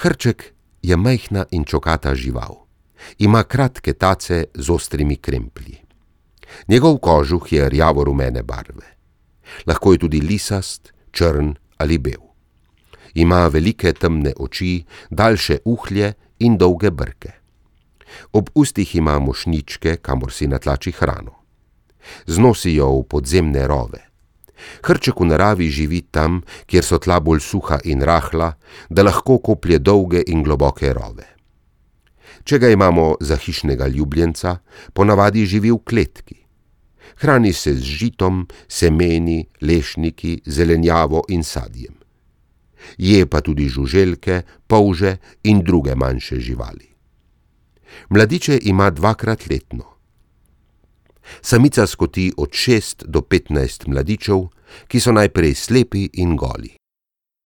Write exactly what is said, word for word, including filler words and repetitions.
Hrček je majhna in čokata žival. Ima kratke tace z ostrimi kremplji. Njegov kožuh je rjavo-rumene barve. Lahko je tudi lisast, črn ali bel. Ima velike temne oči, daljše uhlje in dolge brke. Ob ustih ima mošnjičke, kamor si natlači hrano. Znosi jo v podzemne rove. Hrček v naravi živi tam, kjer so tla bolj suha in rahla, da lahko koplje dolge in globoke rove. Če ga imamo za hišnega ljubljenca, ponavadi živi v kletki. Hrani se z žitom, semeni, lešniki, zelenjavo in sadjem. Je pa tudi žuželke, polže in druge manjše živali. Mladiče ima dvakrat letno. Samica skoti od šest do petnajst mladičev, ki so najprej slepi in goli.